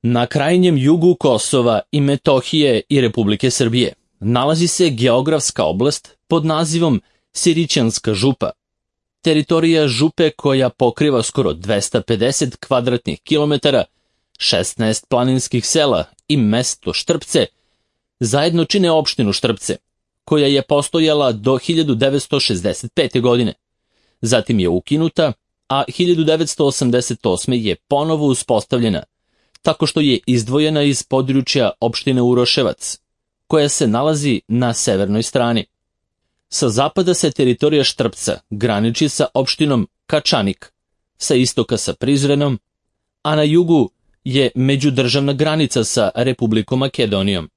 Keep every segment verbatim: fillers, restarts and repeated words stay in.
Na krajnjem jugu Kosova i Metohije i Republike Srbije nalazi se geografska oblast pod nazivom Sirićanska župa. Teritorija župe koja pokriva skoro dvesta pedeset kvadratnih kilometara, šesnaest planinskih sela i mesto Štrpce, zajedno čine opštinu Štrpce, koja je postojala do hiljadu devetsto šezdeset pete. godine. Zatim je ukinuta, a hiljadu devetsto osamdeset osme. je ponovo uspostavljena, tako što je izdvojena iz područja opštine Uroševac, koja se nalazi na severnoj strani. Sa zapada se teritorija Štrpca graniči sa opštinom Kačanik, sa istoka sa Prizrenom, a na jugu je međudržavna granica sa Republikom Makedonijom.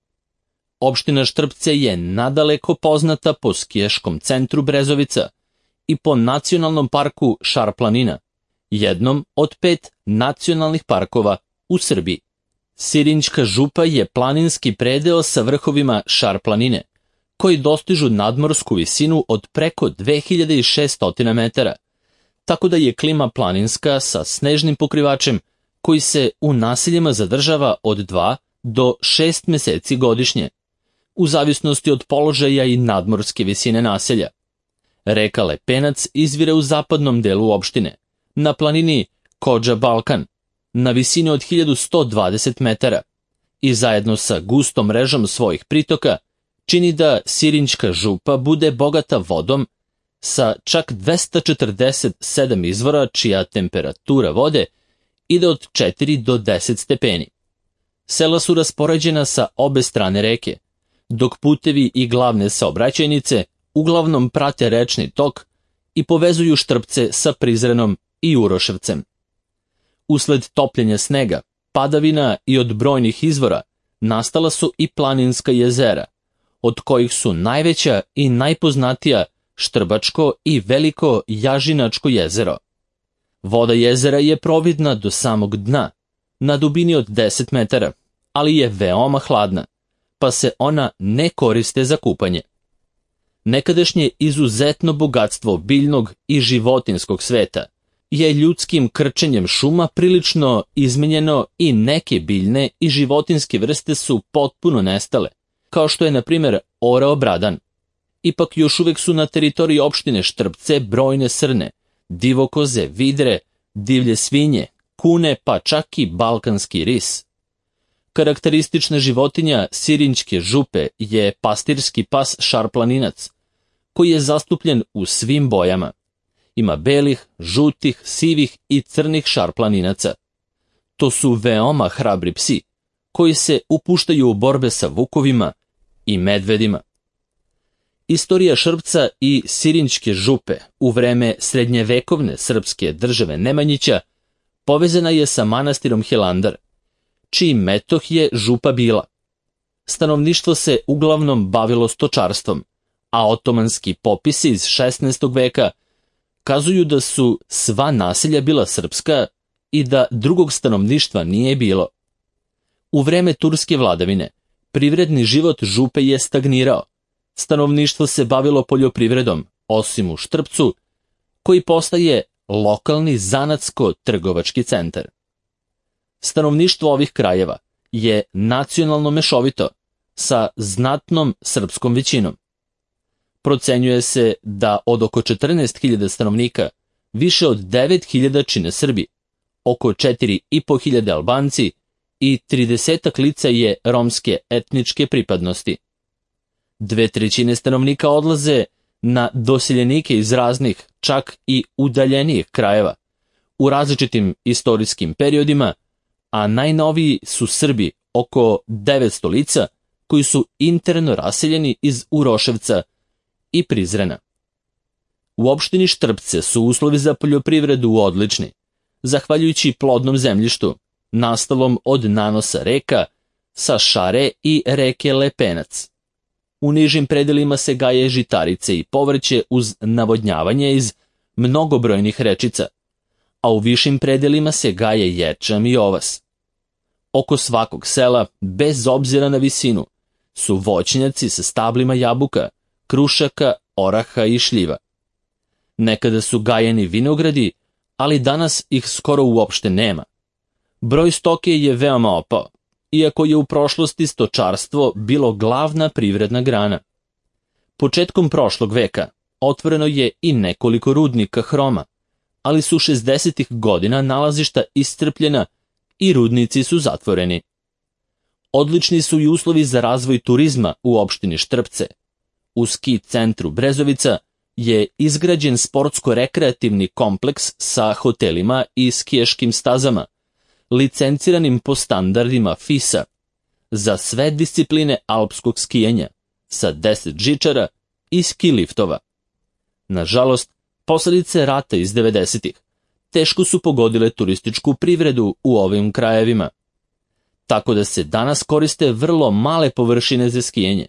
Opština Štrpce je nadaleko poznata po skijaškom centru Brezovica i po nacionalnom parku Šar planina, jednom od pet nacionalnih parkova u Srbiji. Sirinjska župa je planinski predeo sa vrhovima Šar planine, koji dostižu nadmorsku visinu od preko dve hiljade šesto metara, tako da je klima planinska sa snežnim pokrivačem koji se u naseljima zadržava od dva do šest meseci godišnje, u zavisnosti od položaja i nadmorske visine naselja. Reka Lepenac izvire u zapadnom delu opštine, na planini Kodža Balkan, na visini od hiljadu sto dvadeset metara, i zajedno sa gustom mrežom svojih pritoka čini da Sirinjska župa bude bogata vodom sa čak dvesta četrdeset sedam izvora čija temperatura vode ide od četiri do deset stepeni. Sela su raspoređena sa obe strane reke, dok putevi i glavne saobraćajnice uglavnom prate rečni tok i povezuju Štrpce sa Prizrenom i Uroševcem. Usled topljenja snega, padavina i od brojnih izvora nastala su i planinska jezera, od kojih su najveća i najpoznatija Štrbačko i Veliko Jažinačko jezero. Voda jezera je providna do samog dna, na dubini od deset metara, ali je veoma hladna, pa se ona ne koriste za kupanje. Nekadašnje izuzetno bogatstvo biljnog i životinskog sveta je ljudskim krčenjem šuma prilično izmenjeno i neke biljne i životinske vrste su potpuno nestale, kao što je, na primjer, orao bradan. Ipak još uvek su na teritoriji opštine Štrpce brojne srne, divokoze, vidre, divlje svinje, kune, pa čak i balkanski ris. Karakteristična životinja Sirinjske župe je pastirski pas šarplaninac, koji je zastupljen u svim bojama. Ima belih, žutih, sivih i crnih šarplaninaca. To su veoma hrabri psi, koji se upuštaju u borbe sa vukovima i medvedima. Istorija Šrpca i Sirinjske župe u vreme srednjevekovne srpske države Nemanjića povezana je sa manastirom Hilandar, čiji metoh je župa bila. Stanovništvo se uglavnom bavilo stočarstvom, a otomanski popisi iz šesnaestog veka kazuju da su sva naselja bila srpska i da drugog stanovništva nije bilo. U vreme turske vladavine privredni život župe je stagnirao. Stanovništvo se bavilo poljoprivredom, osim u Štrpcu, koji postaje lokalni zanatsko-trgovački centar. Stanovništvo ovih krajeva je nacionalno mešovito, sa znatnom srpskom većinom. Procenjuje se da od oko četrnaest hiljada stanovnika više od devet hiljada čine Srbi, oko četiri i po hiljade Albanci i tridesetak lica je romske etničke pripadnosti. Dve trećine stanovnika odlaze na doseljenike iz raznih, čak i udaljenijih krajeva, u različitim istorijskim periodima, a najnoviji su Srbi, oko devetsto lica, koji su interno raseljeni iz Uroševca i Prizrena. U opštini Štrpce su uslovi za poljoprivredu odlični, zahvaljujući plodnom zemljištu, nastalom od nanosa reka sa Šare i reke Lepenac. U nižim predelima se gaje žitarice i povrće uz navodnjavanje iz mnogobrojnih rečica, a u višim predelima se gaje ječam i ovas. Oko svakog sela, bez obzira na visinu, su voćnjaci sa stablima jabuka, krušaka, oraha i šljiva. Nekada su gajeni vinogradi, ali danas ih skoro uopšte nema. Broj stoke je veoma opao, iako je u prošlosti stočarstvo bilo glavna privredna grana. Početkom prošlog veka otvoreno je i nekoliko rudnika hroma, ali su šezdesetih godina nalazišta iscrpljena i rudnici su zatvoreni. Odlični su i uslovi za razvoj turizma u opštini Štrpce. U ski centru Brezovica je izgrađen sportsko-rekreativni kompleks sa hotelima i skijaškim stazama, licenciranim po standardima fisa, za sve discipline alpskog skijanja, sa deset žičara i ski liftova. Nažalost, posledice rata iz devedesetih teško su pogodile turističku privredu u ovim krajevima, tako da se danas koriste vrlo male površine za skijanje,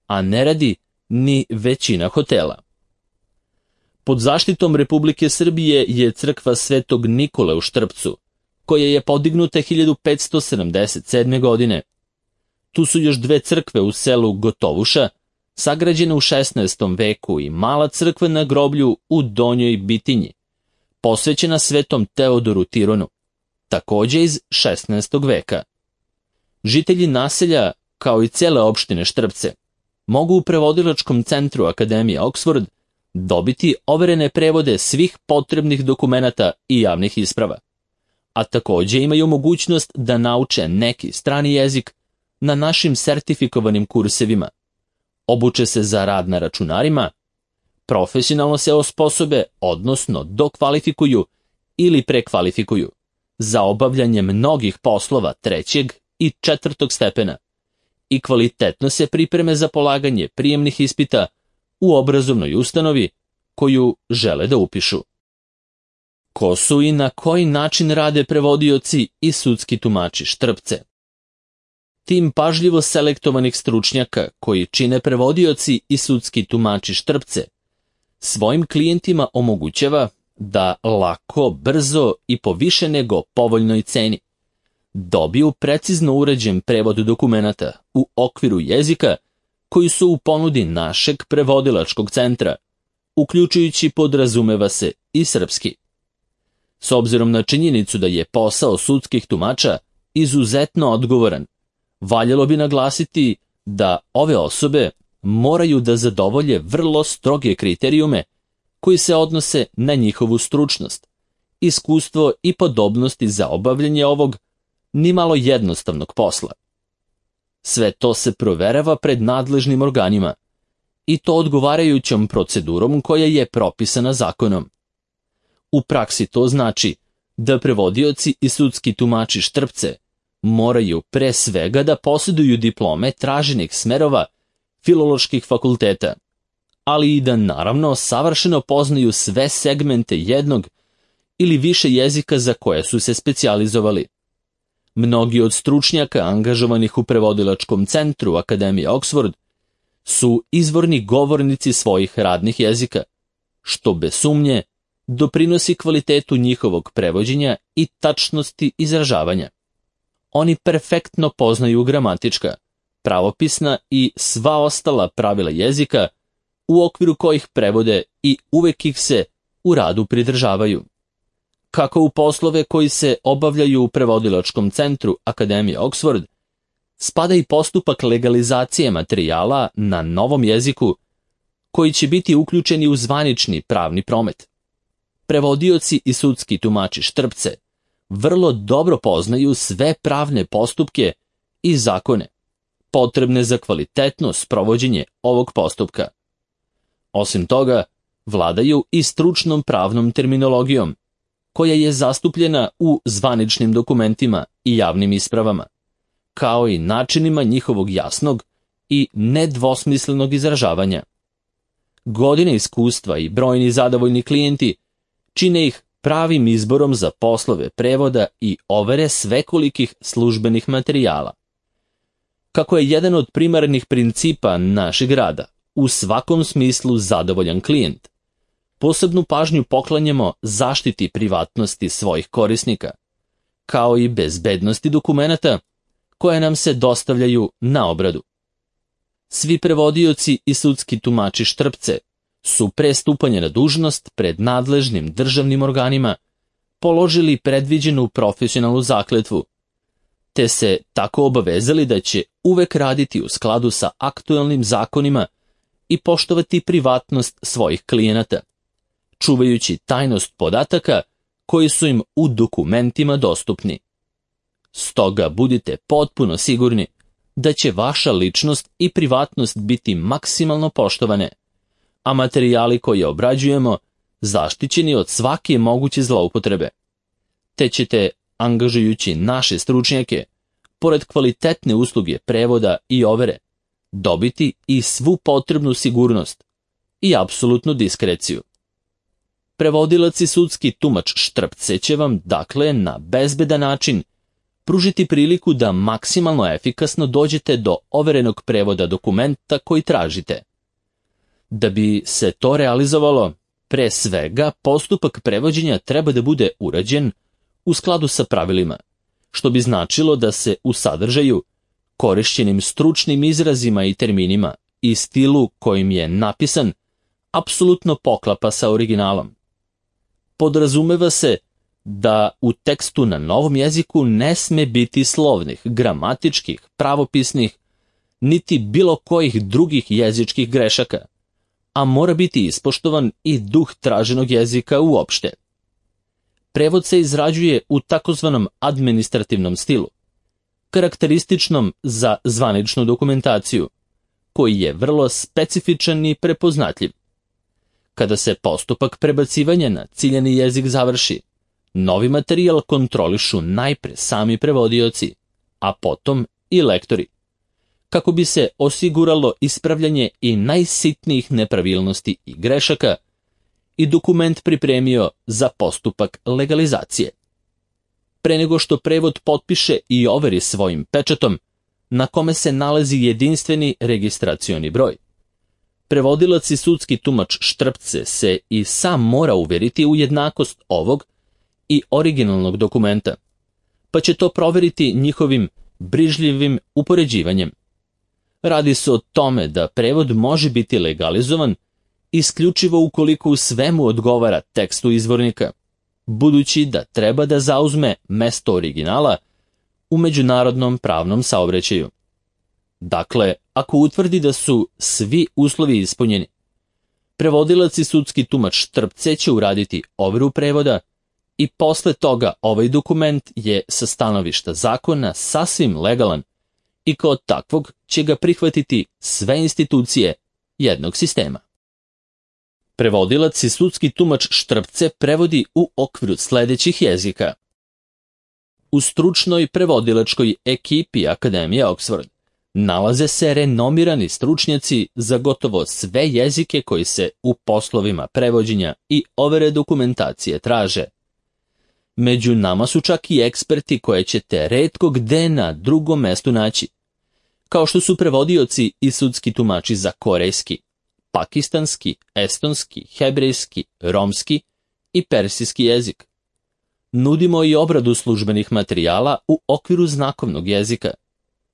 a ne radi ni većina hotela. Pod zaštitom Republike Srbije je crkva Svetog Nikole u Štrpcu, koja je podignuta hiljadu petsto sedamdeset sedme. godine. Tu su još dve crkve u selu Gotovuša, sagrađene u šesnaestom veku, i mala crkva na groblju u Donjoj Bitinji, posvećena Svetom Teodoru Tironu, takođe iz šesnaestog veka. Žitelji naselja, kao i cele opštine Štrpce, mogu u prevodilačkom centru Akademije Oxford dobiti overene prevode svih potrebnih dokumenata i javnih isprava, a takođe imaju mogućnost da nauče neki strani jezik na našim sertifikovanim kursevima, obuče se za rad na računarima, profesionalno se osposobe, odnosno dokvalifikuju ili prekvalifikuju za obavljanje mnogih poslova trećeg i četvrtog stepena i kvalitetno se pripreme za polaganje prijemnih ispita u obrazovnoj ustanovi koju žele da upišu. Ko su i na koji način rade prevodioci i sudski tumači Štrpce? Tim pažljivo selektovanih stručnjaka koji čine prevodioci i sudski tumači Štrpce svojim klijentima omogućava da lako, brzo i po više nego povoljnoj ceni dobiju precizno uređen prevod dokumenata u okviru jezika koji su u ponudi našeg prevodilačkog centra, uključujući, podrazumeva se, i srpski. S obzirom na činjenicu da je posao sudskih tumača izuzetno odgovoran, valjalo bi naglasiti da ove osobe moraju da zadovolje vrlo stroge kriterijume koji se odnose na njihovu stručnost, iskustvo i podobnosti za obavljanje ovog nimalo jednostavnog posla. Sve to se proverava pred nadležnim organima i to odgovarajućom procedurom koja je propisana zakonom. U praksi to znači da prevodioci i sudski tumači Štrpce moraju pre svega da posjeduju diplome traženih smerova filoloških fakulteta, ali i da naravno savršeno poznaju sve segmente jednog ili više jezika za koje su se specijalizovali. Mnogi od stručnjaka angažovanih u prevodilačkom centru Akademije Oxford su izvorni govornici svojih radnih jezika, što bez sumnje doprinosi kvalitetu njihovog prevođenja i tačnosti izražavanja. Oni perfektno poznaju gramatička, pravopisna i sva ostala pravila jezika u okviru kojih prevode i uvek ih se u radu pridržavaju. Kako u poslove koji se obavljaju u prevodilačkom centru Akademije Oxford, spada i postupak legalizacije materijala na novom jeziku koji će biti uključeni u zvanični pravni promet. Prevodioci i sudski tumači Štrpce vrlo dobro poznaju sve pravne postupke i zakone potrebne za kvalitetno sprovođenje ovog postupka. Osim toga, vladaju i stručnom pravnom terminologijom, koja je zastupljena u zvaničnim dokumentima i javnim ispravama, kao i načinima njihovog jasnog i nedvosmislenog izražavanja. Godine iskustva i brojni zadovoljni klijenti čine ih pravim izborom za poslove prevoda i overe svekolikih službenih materijala. Kako je jedan od primarnih principa našeg rada u svakom smislu zadovoljan klijent, posebnu pažnju poklanjamo zaštiti privatnosti svojih korisnika, kao i bezbednosti dokumenata koje nam se dostavljaju na obradu. Svi prevodioci i sudski tumači Štrpce su pre stupanja na dužnost pred nadležnim državnim organima položili predviđenu profesionalnu zakletvu, te se tako obavezali da će uvek raditi u skladu sa aktuelnim zakonima i poštovati privatnost svojih klijenata, čuvajući tajnost podataka koji su im u dokumentima dostupni. Stoga budite potpuno sigurni da će vaša ličnost i privatnost biti maksimalno poštovane, a materijali koje obrađujemo zaštićeni od svake moguće zloupotrebe, te ćete, angažujući naše stručnjake, pored kvalitetne usluge prevoda i overe, dobiti i svu potrebnu sigurnost i apsolutnu diskreciju. Prevodilac i sudski tumač Štrpce će vam, dakle, na bezbedan način pružiti priliku da maksimalno efikasno dođete do overenog prevoda dokumenta koji tražite. Da bi se to realizovalo, pre svega postupak prevođenja treba da bude urađen u skladu sa pravilima, što bi značilo da se u sadržaju, korišćenim stručnim izrazima i terminima i stilu kojim je napisan, apsolutno poklapa sa originalom. Podrazumeva se da u tekstu na novom jeziku ne sme biti slovnih, gramatičkih, pravopisnih, niti bilo kojih drugih jezičkih grešaka, a mora biti ispoštovan i duh traženog jezika uopšte. Prevod se izrađuje u takozvanom administrativnom stilu, karakterističnom za zvaničnu dokumentaciju, koji je vrlo specifičan i prepoznatljiv. Kada se postupak prebacivanja na ciljani jezik završi, novi materijal kontrolišu najpre sami prevodioci, a potom i lektori, kako bi se osiguralo ispravljanje i najsitnijih nepravilnosti i grešaka i dokument pripremio za postupak legalizacije. Pre nego što prevod potpiše i overi svojim pečatom, na kome se nalazi jedinstveni registracioni broj, prevodilac i sudski tumač Štrpce se i sam mora uveriti u jednakost ovog i originalnog dokumenta, pa će to proveriti njihovim brižljivim upoređivanjem. Radi se o tome da prevod može biti legalizovan isključivo ukoliko u svemu odgovara tekstu izvornika, budući da treba da zauzme mesto originala u međunarodnom pravnom saobraćaju. Dakle, ako utvrdi da su svi uslovi ispunjeni, prevodilac i sudski tumač Štrpce će uraditi overu prevoda i posle toga ovaj dokument je sa stanovišta zakona sasvim legalan i kao takvog će ga prihvatiti sve institucije jednog sistema. Prevodilac i sudski tumač Štrpce prevodi u okviru sledećih jezika. U stručnoj prevodilačkoj ekipi Akademije Oxford nalaze se renomirani stručnjaci za gotovo sve jezike koji se u poslovima prevođenja i overe dokumentacije traže. Među nama su čak i eksperti koje ćete retko gde na drugom mestu naći, kao što su prevodioci i sudski tumači za korejski, pakistanski, estonski, hebrejski, romski i persijski jezik. Nudimo i obradu službenih materijala u okviru znakovnog jezika,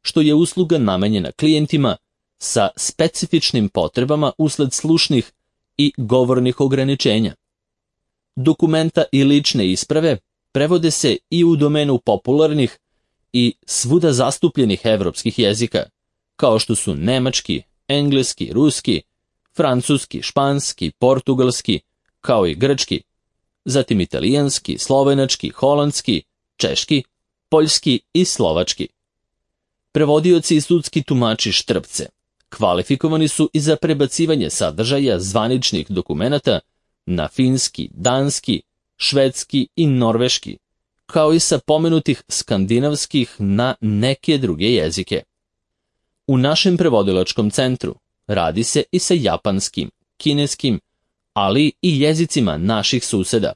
što je usluga namenjena klijentima sa specifičnim potrebama usled slušnih i govornih ograničenja. Dokumenta i lične isprave prevode se i u domenu popularnih i svuda zastupljenih evropskih jezika, kao što su nemački, engleski, ruski, francuski, španski, portugalski, kao i grčki, zatim italijanski, slovenački, holandski, češki, poljski i slovački. Prevodioci i sudski tumači Štrpce kvalifikovani su i za prebacivanje sadržaja zvaničnih dokumenata na finski, danski, švedski i norveški, kao i sa pomenutih skandinavskih na neke druge jezike. U našem prevodilačkom centru radi se i sa japanskim, kineskim, ali i jezicima naših suseda,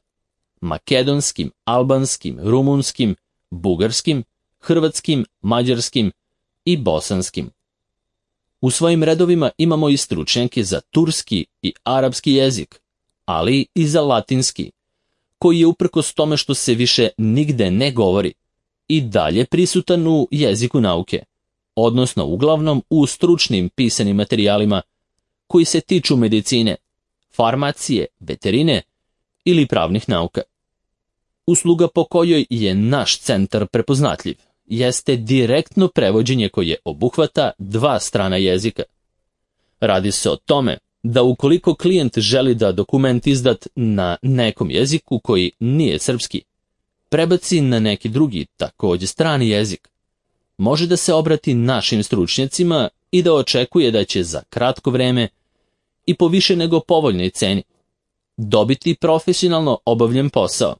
makedonskim, albanskim, rumunskim, bugarskim, hrvatskim, mađarskim i bosanskim. U svojim redovima imamo i stručnjake za turski i arapski jezik, ali i za latinski, koji je uprkos tome što se više nigde ne govori i dalje prisutan u jeziku nauke, odnosno uglavnom u stručnim pisanim materijalima koji se tiču medicine, farmacije, veterine ili pravnih nauka. Usluga po kojoj je naš centar prepoznatljiv jeste direktno prevođenje koje obuhvata dva strana jezika. Radi se o tome da ukoliko klijent želi da dokument izdat na nekom jeziku koji nije srpski, prebaci na neki drugi, takođe strani jezik, može da se obrati našim stručnjacima i da očekuje da će za kratko vreme i po više nego povoljnoj ceni dobiti profesionalno obavljen posao,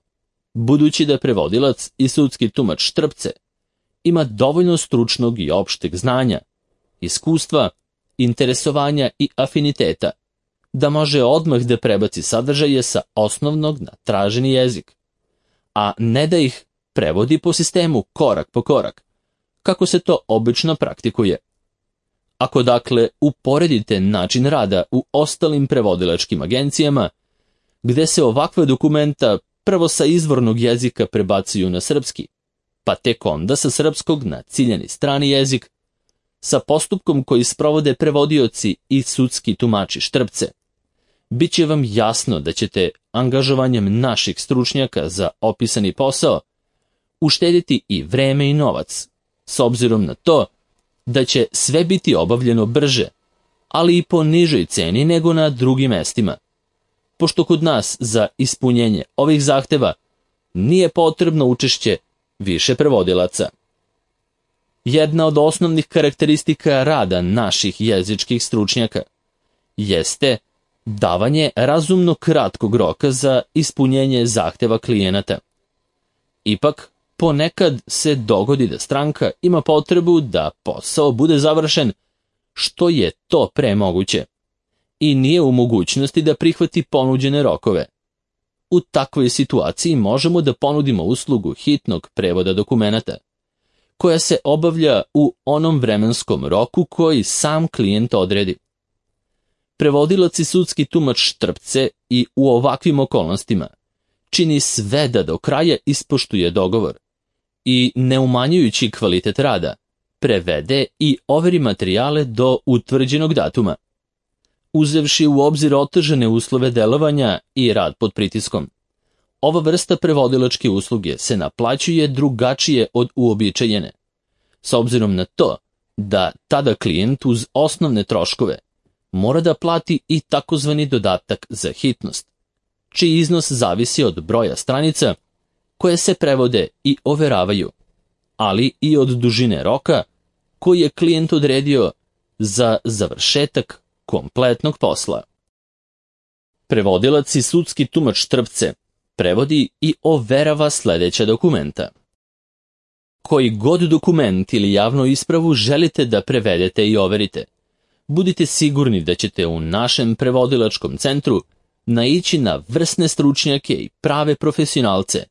budući da prevodilac i sudski tumač Štrpce ima dovoljno stručnog i opšteg znanja, iskustva, interesovanja i afiniteta, da može odmah da prebaci sadržaje sa osnovnog na traženi jezik, a ne da ih prevodi po sistemu korak po korak, kako se to obično praktikuje. Ako dakle uporedite način rada u ostalim prevodilačkim agencijama, gde se ovakva dokumenta prvo sa izvornog jezika prebacuju na srpski, pa tek onda sa srpskog na ciljani strani jezik, sa postupkom koji sprovode prevodioci i sudski tumači Štrpce, bit će vam jasno da ćete angažovanjem naših stručnjaka za opisani posao uštediti i vreme i novac, s obzirom na to da će sve biti obavljeno brže, ali i po nižoj ceni nego na drugim mestima, pošto kod nas za ispunjenje ovih zahteva nije potrebno učešće više prevodilaca. Jedna od osnovnih karakteristika rada naših jezičkih stručnjaka jeste davanje razumno kratkog roka za ispunjenje zahteva klijenata. Ipak, ponekad se dogodi da stranka ima potrebu da posao bude završen što je to pre moguće i nije u mogućnosti da prihvati ponuđene rokove. U takvoj situaciji možemo da ponudimo uslugu hitnog prevoda dokumenata, koja se obavlja u onom vremenskom roku koji sam klijent odredi. Prevodilac i sudski tumač Štrpce i u ovakvim okolnostima čini sve da do kraja ispoštuje dogovor i, ne umanjujući kvalitet rada, prevede i overi materijale do utvrđenog datuma. Uzevši u obzir otežane uslove delovanja i rad pod pritiskom, ova vrsta prevodilačke usluge se naplaćuje drugačije od uobičajene, s obzirom na to da tada klijent uz osnovne troškove mora da plati i takozvani dodatak za hitnost, čiji iznos zavisi od broja stranica koje se prevode i overavaju, ali i od dužine roka koji je klijent odredio za završetak kompletnog posla. Prevodilac i sudski tumač Štrpce prevodi i overava sledeća dokumenta. Koji god dokument ili javnu ispravu želite da prevedete i overite, budite sigurni da ćete u našem prevodilačkom centru naići na vrsne stručnjake i prave profesionalce,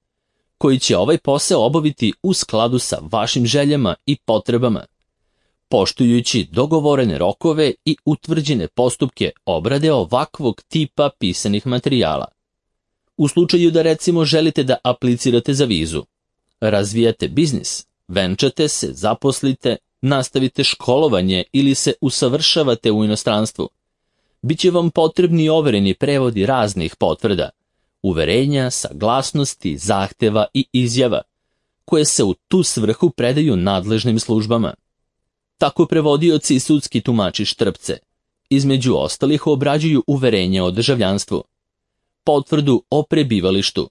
koji će ovaj posao obaviti u skladu sa vašim željama i potrebama, poštujući dogovorene rokove i utvrđene postupke obrade ovakvog tipa pisanih materijala. U slučaju da recimo želite da aplicirate za vizu, razvijate biznis, venčate se, zaposlite, nastavite školovanje ili se usavršavate u inostranstvu, bit će vam potrebni overeni prevodi raznih potvrda, uverenja, saglasnosti, zahteva i izjava, koje se u tu svrhu predaju nadležnim službama. Tako prevodioci i sudski tumači Štrpce, između ostalih, obrađuju uverenje o državljanstvu, potvrdu o prebivalištu,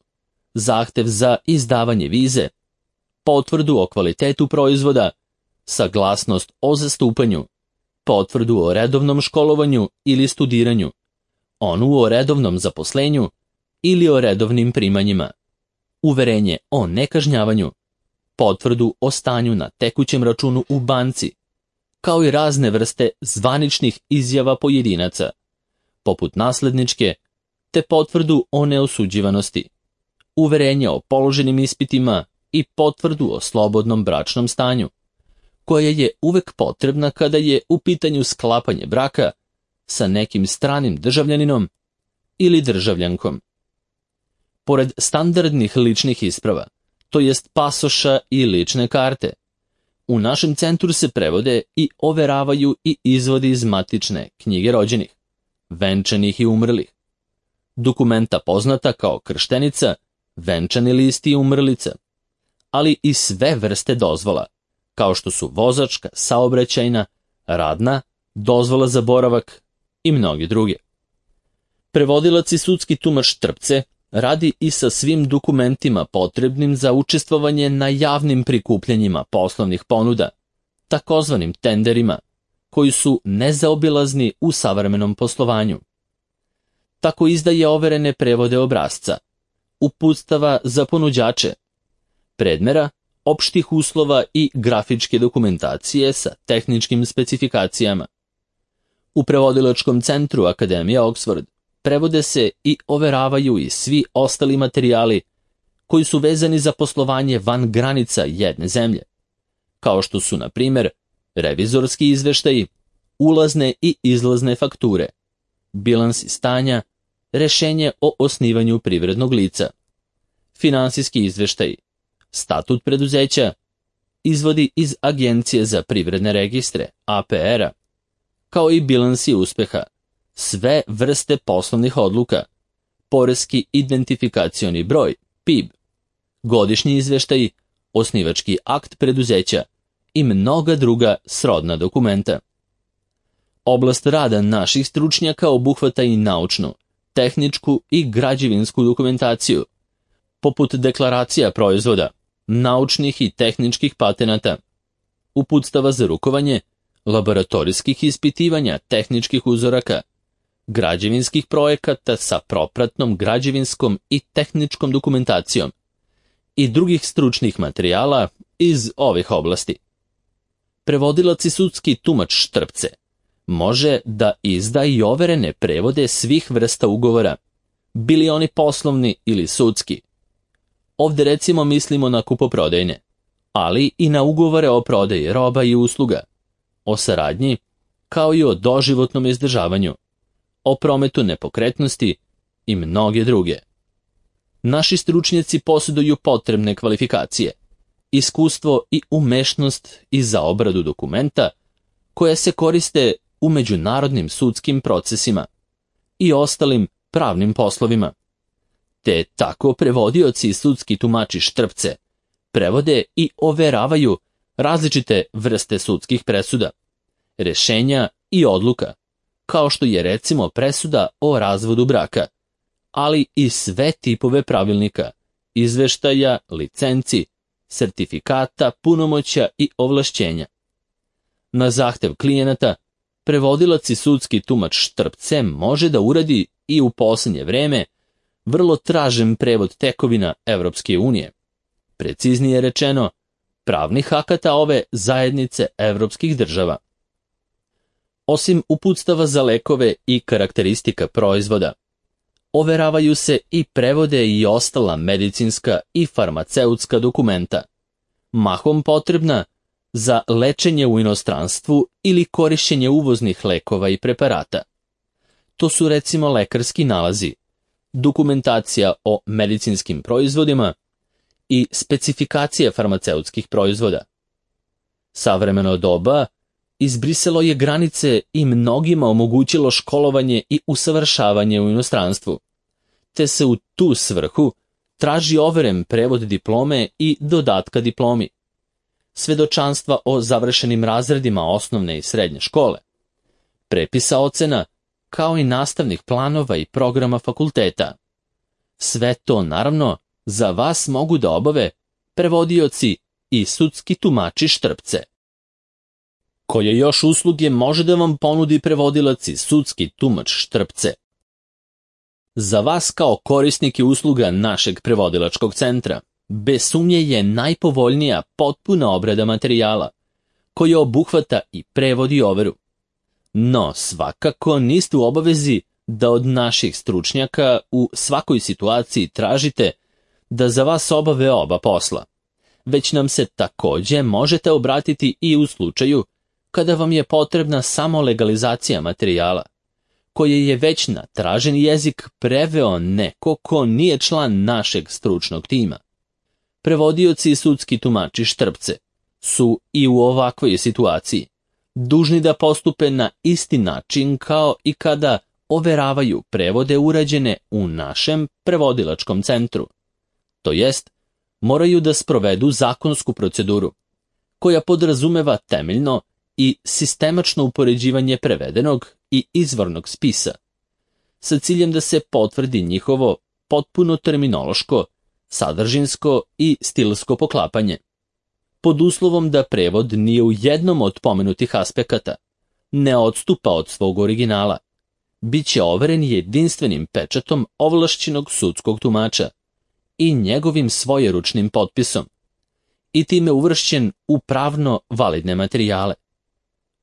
zahtev za izdavanje vize, potvrdu o kvalitetu proizvoda, saglasnost o zastupanju, potvrdu o redovnom školovanju ili studiranju, onu o redovnom zaposlenju ili o redovnim primanjima, uverenje o nekažnjavanju, potvrdu o stanju na tekućem računu u banci, kao i razne vrste zvaničnih izjava pojedinaca, poput nasledničke, te potvrdu o neosuđivanosti, uverenje o položenim ispitima i potvrdu o slobodnom bračnom stanju, koja je uvek potrebna kada je u pitanju sklapanje braka sa nekim stranim državljaninom ili državljankom. Pored standardnih ličnih isprava, to jest pasoša i lične karte, u našem centru se prevode i overavaju i izvodi iz matične knjige rođenih, venčanih i umrlih, dokumenta poznata kao krštenica venčani list i umrlica, ali i sve vrste dozvola, kao što su vozačka, saobraćajna, radna, dozvola za boravak i mnogi druge. Prevodilac i sudski tumač trpce radi i sa svim dokumentima potrebnim za učestvovanje na javnim prikupljanjima poslovnih ponuda, takozvanim tenderima, koji su nezaobilazni u savremenom poslovanju. Tako izdaje overene prevode obrasca, uputstava za ponuđače, predmera, opštih uslova i grafičke dokumentacije sa tehničkim specifikacijama. U prevodilačkom centru Akademije Oxford prevode se i overavaju i svi ostali materijali koji su vezani za poslovanje van granica jedne zemlje, kao što su, na primjer, revizorski izveštaji, ulazne i izlazne fakture, bilansi stanja, rešenje o osnivanju privrednog lica, finansijski izveštaji, statut preduzeća, izvodi iz Agencije za privredne registre, A P R-a, kao i bilansi uspeha, sve vrste poslovnih odluka, poreski identifikacioni broj, P I B, godišnji izveštaji, osnivački akt preduzeća i mnoga druga srodna dokumenta. Oblast rada naših stručnjaka obuhvata i naučnu, tehničku i građevinsku dokumentaciju, poput deklaracija proizvoda, naučnih i tehničkih patenata, uputstava za rukovanje, laboratorijskih ispitivanja tehničkih uzoraka, građevinskih projekata sa propratnom građevinskom i tehničkom dokumentacijom i drugih stručnih materijala iz ovih oblasti. Prevodilac i sudski tumač trpce može da izda i overene prevode svih vrsta ugovora, bili oni poslovni ili sudski. Ovdje recimo mislimo na kupoprodajne, ali i na ugovore o prodaji roba i usluga, o saradnji, kao i o doživotnom izdržavanju, o prometu nepokretnosti i mnoge druge. Naši stručnjaci posjeduju potrebne kvalifikacije, iskustvo i umešnost i za obradu dokumenta koje se koriste u međunarodnim sudskim procesima i ostalim pravnim poslovima. Te tako prevodioci i sudski tumači trpce prevode i overavaju različite vrste sudskih presuda, rešenja i odluka, kao što je recimo presuda o razvodu braka, ali i sve tipove pravilnika, izveštaja, licenci, sertifikata, punomoćja i ovlašćenja. Na zahtev klijenata, prevodilac i sudski tumač trpce može da uradi i u posljednje vreme vrlo tražen prevod tekovina Evropske unije, preciznije rečeno, pravnih akata ove zajednice evropskih država. Osim uputstava za lekove i karakteristika proizvoda, overavaju se i prevode i ostala medicinska i farmaceutska dokumenta, mahom potrebna za lečenje u inostranstvu ili korišćenje uvoznih lekova i preparata. To su recimo lekarski nalazi, dokumentacija o medicinskim proizvodima i specifikacije farmaceutskih proizvoda. Savremeno doba izbrisalo je granice i mnogima omogućilo školovanje i usavršavanje u inostranstvu, te se u tu svrhu traži overen prevod diplome i dodatka diplomi, svedočanstva o završenim razredima osnovne i srednje škole, prepisa ocena, kao i nastavnih planova i programa fakulteta. Sve to, naravno, za vas mogu da obave prevodioci i sudski tumači trpce. Koje još usluge može da vam ponudi prevodilac i sudski tumač trpce? Za vas kao korisnike usluga našeg prevodilačkog centra, bez sumnje je najpovoljnija potpuna obrada materijala, koja obuhvata i prevod i overu. No, svakako niste u obavezi da od naših stručnjaka u svakoj situaciji tražite da za vas obave oba posla, već nam se također možete obratiti i u slučaju kada vam je potrebna samo legalizacija materijala, koje je već na traženi jezik preveo neko ko nije član našeg stručnog tima. Prevodioci i sudski tumači trpce su i u ovakvoj situaciji dužni da postupe na isti način kao i kada overavaju prevode urađene u našem prevodilačkom centru. To jest, moraju da sprovedu zakonsku proceduru, koja podrazumeva temeljno i sistemačno upoređivanje prevedenog i izvornog spisa, sa ciljem da se potvrdi njihovo potpuno terminološko, sadržinsko i stilsko poklapanje. Pod uslovom da prevod nije u jednom od pomenutih aspekata, ne odstupa od svog originala, bit će overen jedinstvenim pečatom ovlašćenog sudskog tumača i njegovim svojeručnim potpisom, i time uvršćen u pravno validne materijale.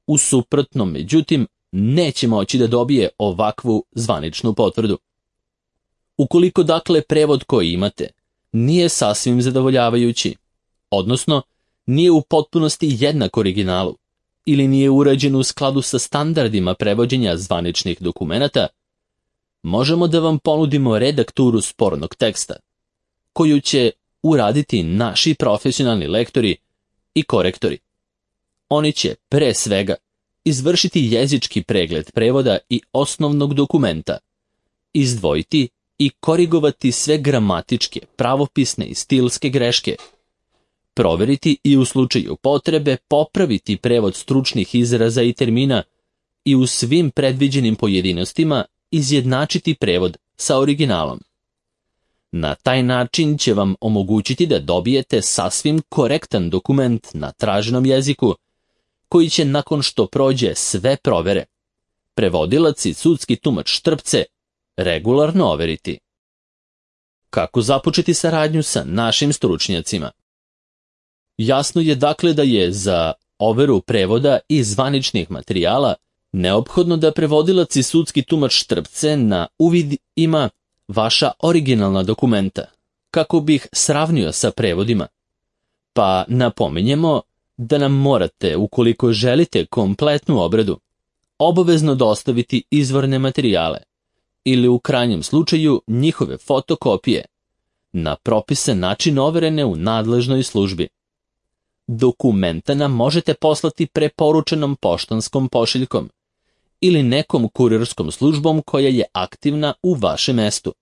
U suprotnom, međutim, neće moći da dobije ovakvu zvaničnu potvrdu. Ukoliko dakle prevod koji imate nije sasvim zadovoljavajući, odnosno nije u potpunosti jednak originalu, ili nije urađen u skladu sa standardima prevođenja zvaničnih dokumenata, možemo da vam ponudimo redakturu spornog teksta, koju će uraditi naši profesionalni lektori i korektori. Oni će, pre svega, izvršiti jezički pregled prevoda i osnovnog dokumenta, izdvojiti i korigovati sve gramatičke, pravopisne i stilske greške, proveriti i u slučaju potrebe popraviti prevod stručnih izraza i termina i u svim predviđenim pojedinostima izjednačiti prevod sa originalom. Na taj način će vam omogućiti da dobijete sasvim korektan dokument na traženom jeziku, koji će nakon što prođe sve provere, prevodilac i sudski tumač Štrpce regularno overiti. Kako započeti saradnju sa našim stručnjacima? Jasno je dakle da je za overu prevoda i zvaničnih materijala neophodno da prevodilac i sudski tumač Štrpce na uvid ima vaša originalna dokumenta, kako bih sravnio sa prevodima. Pa napominjemo da nam morate, ukoliko želite kompletnu obradu, obavezno dostaviti izvorne materijale ili u krajnjem slučaju njihove fotokopije na propisan način overene u nadležnoj službi. Dokumenta nam možete poslati preporučenom poštanskom pošiljkom ili nekom kurirskom službom koja je aktivna u vašem mestu,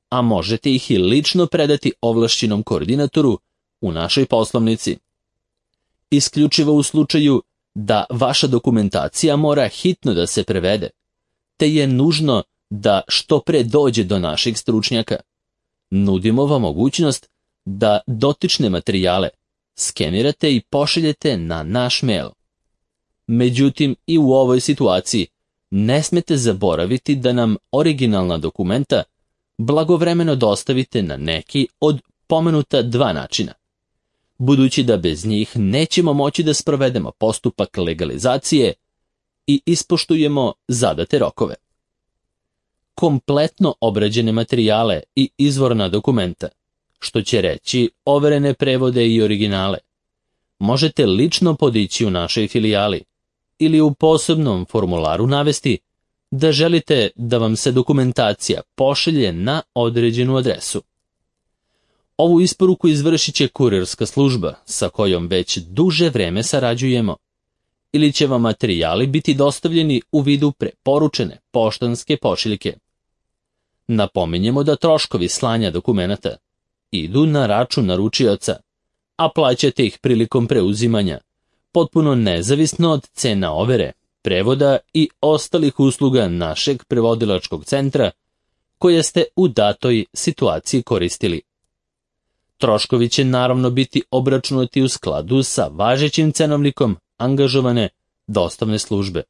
a možete ih i lično predati ovlašćenom koordinatoru u našoj poslovnici. Isključivo u slučaju da vaša dokumentacija mora hitno da se prevede, te je nužno da što pre dođe do naših stručnjaka. Nudimo vam mogućnost da dotične materijale skenirate i pošaljete na naš mail. Međutim, i u ovoj situaciji ne smete zaboraviti da nam originalna dokumenta blagovremeno dostavite na neki od pomenuta dva načina, budući da bez njih nećemo moći da sprovedemo postupak legalizacije i ispoštujemo zadate rokove. Kompletno obrađene materijale i izvorna dokumenta, što će reći overene prevode i originale, možete lično podići u našoj filijali ili u posebnom formularu navesti da želite da vam se dokumentacija pošalje na određenu adresu. Ovu isporuku izvršit će kurirska služba sa kojom već duže vreme sarađujemo, ili će vam materijali biti dostavljeni u vidu preporučene poštanske pošiljke. Napominjemo da troškovi slanja dokumenata idu na račun naručioca, a plaćate ih prilikom preuzimanja, potpuno nezavisno od cena overe, prevoda i ostalih usluga našeg prevodilačkog centra koje ste u datoj situaciji koristili. Troškovi će naravno biti obračunati u skladu sa važećim cenovnikom angažovane dostavne službe.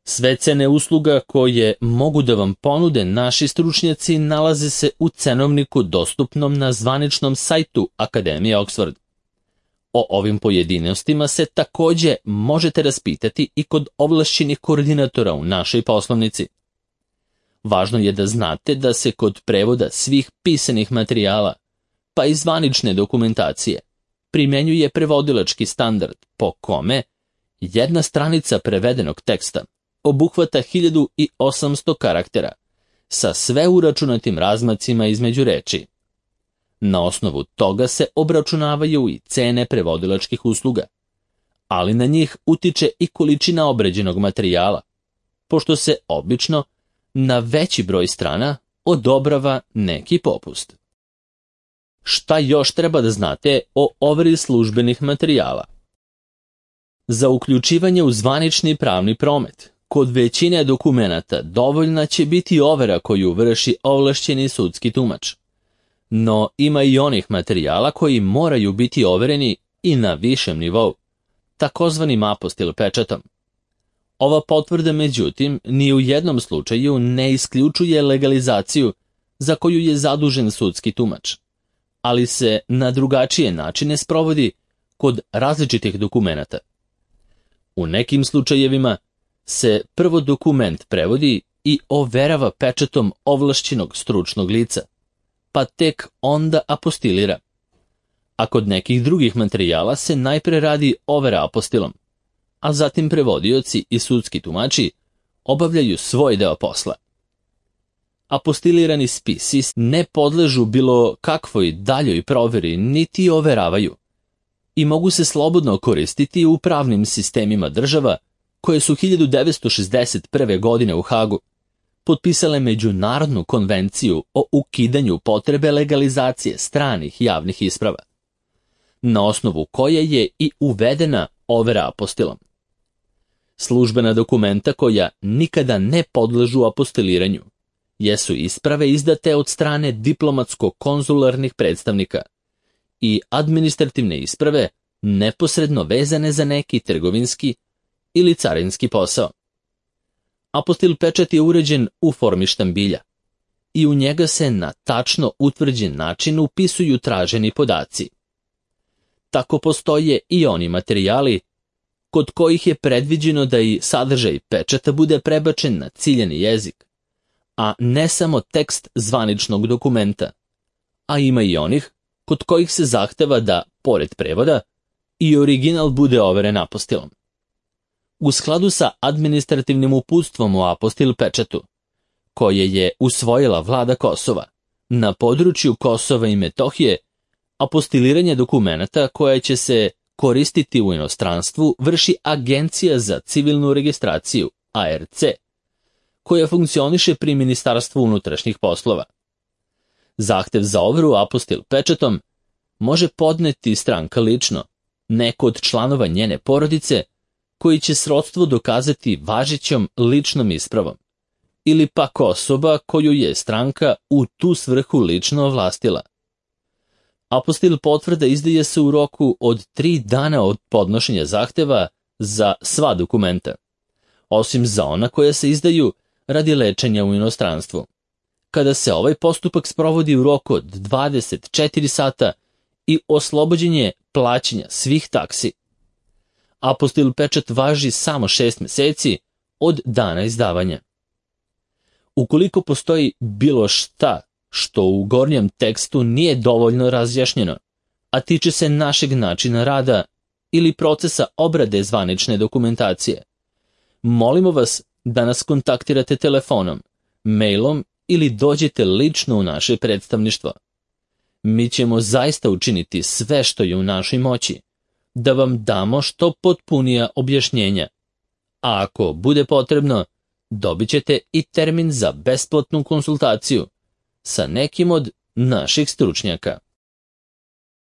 Sve cene usluga koje mogu da vam ponude naši stručnjaci nalaze se u cenovniku dostupnom na zvaničnom sajtu Akademije Oxford. O ovim pojedinostima se takođe možete raspitati i kod ovlašćenih koordinatora u našoj poslovnici. Važno je da znate da se kod prevoda svih pisanih materijala, pa i zvanične dokumentacije, primenjuje prevodilački standard po kome jedna stranica prevedenog teksta obuhvata hiljadu osamsto karaktera sa sve uračunatim razmacima između reči. Na osnovu toga se obračunavaju i cene prevodilačkih usluga, ali na njih utiče i količina obrađenog materijala, pošto se obično na veći broj strana odobrava neki popust. Šta još treba da znate o overi službenih materijala? Za uključivanje u zvanični pravni promet, kod većine dokumenata dovoljna će biti overa koju vrši ovlašćeni sudski tumač. No ima i onih materijala koji moraju biti overeni i na višem nivou, takozvanim apostil pečatom. Ova potvrda, međutim, ni u jednom slučaju ne isključuje legalizaciju za koju je zadužen sudski tumač, ali se na drugačije načine sprovodi kod različitih dokumenata. U nekim slučajevima se prvo dokument prevodi i overava pečatom ovlašćenog stručnog lica, pa tek onda apostilira. A kod nekih drugih materijala se najpre radi overa apostilom, a zatim prevodioci i sudski tumači obavljaju svoj deo posla. Apostilirani spisi ne podležu bilo kakvoj daljoj proveri niti overavaju i mogu se slobodno koristiti u pravnim sistemima država koje su hiljadu devetsto šezdeset prve. godine u Hagu potpisale Međunarodnu konvenciju o ukidanju potrebe legalizacije stranih javnih isprava, na osnovu koje je i uvedena overa apostilom. Službena dokumenta koja nikada ne podležu apostiliranju jesu isprave izdate od strane diplomatsko-konzularnih predstavnika i administrativne isprave neposredno vezane za neki trgovinski ili carinski posao. Apostil pečat je uređen u formi štambilja i u njega se na tačno utvrđen način upisuju traženi podaci. Tako postoje i oni materijali kod kojih je predviđeno da i sadržaj pečata bude prebačen na ciljani jezik, a ne samo tekst zvaničnog dokumenta, a ima i onih kod kojih se zahteva da, pored prevoda, i original bude overen apostilom. U skladu sa administrativnim uputstvom o apostil pečatu, koje je usvojila vlada Kosova, na području Kosova i Metohije, apostiliranje dokumenata koje će se koristiti u inostranstvu vrši Agencija za civilnu registraciju, A R C, koja funkcioniše pri Ministarstvu unutrašnjih poslova. Zahtev za overu apostil pečatom može podneti stranka lično, neko od članova njene porodice, koji će srodstvo dokazati važećom ličnom ispravom, ili pak osoba koju je stranka u tu svrhu lično ovlastila. Apostil potvrda izdaje se u roku od tri dana od podnošenja zahteva za sva dokumenta, osim za ona koja se izdaju radi lečenja u inostranstvu, kada se ovaj postupak sprovodi u roku od dvadeset četiri sata i oslobođenje plaćanja svih taksi. Apostil pečat važi samo šest meseci od dana izdavanja. Ukoliko postoji bilo šta što u gornjem tekstu nije dovoljno razjašnjeno, a tiče se našeg načina rada ili procesa obrade zvanične dokumentacije, molimo vas da nas kontaktirate telefonom, mailom ili dođete lično u naše predstavništvo. Mi ćemo zaista učiniti sve što je u našoj moći, da vam damo što potpunija objašnjenja, a ako bude potrebno, dobit ćete i termin za besplatnu konsultaciju sa nekim od naših stručnjaka.